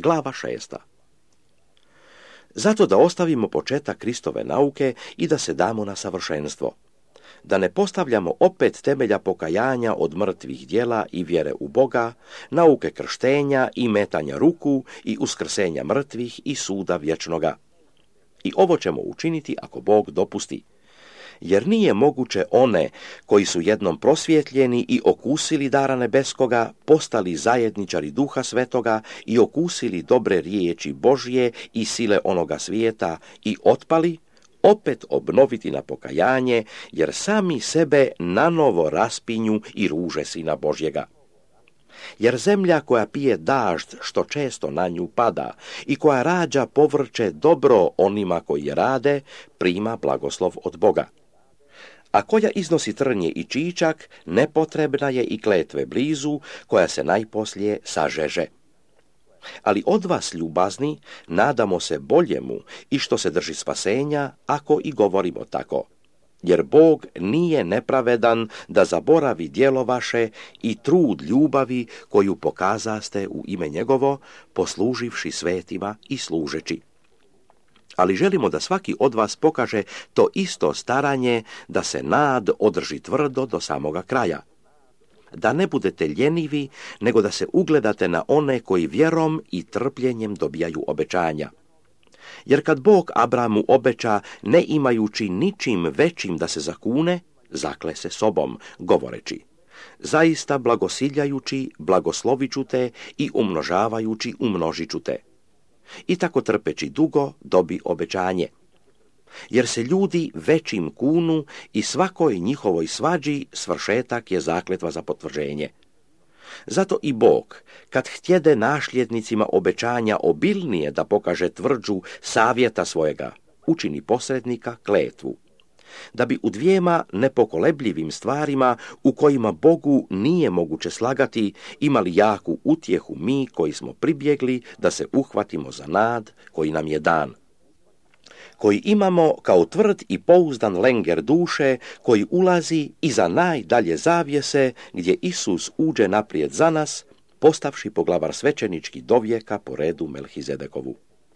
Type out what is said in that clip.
Glava 6. Zato da ostavimo početak Kristove nauke i da se damo na savršenstvo. Da ne postavljamo opet temelja pokajanja od mrtvih djela i vjere u Boga, nauke krštenja i metanja ruku i uskrsenja mrtvih i suda vječnoga. I ovo ćemo učiniti ako Bog dopusti. Jer nije moguće one koji su jednom prosvjetljeni i okusili dara nebeskoga, postali zajedničari Duha Svetoga i okusili dobre riječi Božje i sile onoga svijeta i otpali, opet obnoviti na pokajanje, jer sami sebe nanovo raspinju i ruže Sina Božjega. Jer zemlja koja pije dažd što često na nju pada i koja rađa povrće dobro onima koji je rade, prima blagoslov od Boga. A koja iznosi trnje i čičak, nepotrebna je i kletve blizu, koja se najposlije sažeže. Ali od vas, ljubazni, nadamo se boljemu i što se drži spasenja, ako i govorimo tako. Jer Bog nije nepravedan da zaboravi djelo vaše i trud ljubavi koju pokazaste u ime njegovo, posluživši svetima i služeći. Ali želimo da svaki od vas pokaže to isto staranje, da se nad održi tvrdo do samoga kraja. Da ne budete ljenivi, nego da se ugledate na one koji vjerom i trpljenjem dobijaju obećanja. Jer kad Bog Abramu obeća, ne imajući ničim većim da se zakune, zakle se sobom, govoreći: zaista blagosiljajući, blagoslovit ću te i umnožavajući, umnožit ću te. I tako trpeći dugo dobi obećanje. Jer se ljudi većim kunu i svakoj njihovoj svađi svršetak je zakletva za potvrđenje. Zato i Bog, kad htjede nasljednicima obećanja obilnije da pokaže tvrđu savjeta svojega, učini posrednika kletvu, da bi u dvijema nepokolebljivim stvarima u kojima Bogu nije moguće slagati imali jaku utjehu mi koji smo pribjegli da se uhvatimo za nad koji nam je dan, koji imamo kao tvrd i pouzdan lenger duše koji ulazi iza najdalje zavjese gdje Isus uđe naprijed za nas, postavši poglavar svećenički dovijeka po redu Melhizedekovu.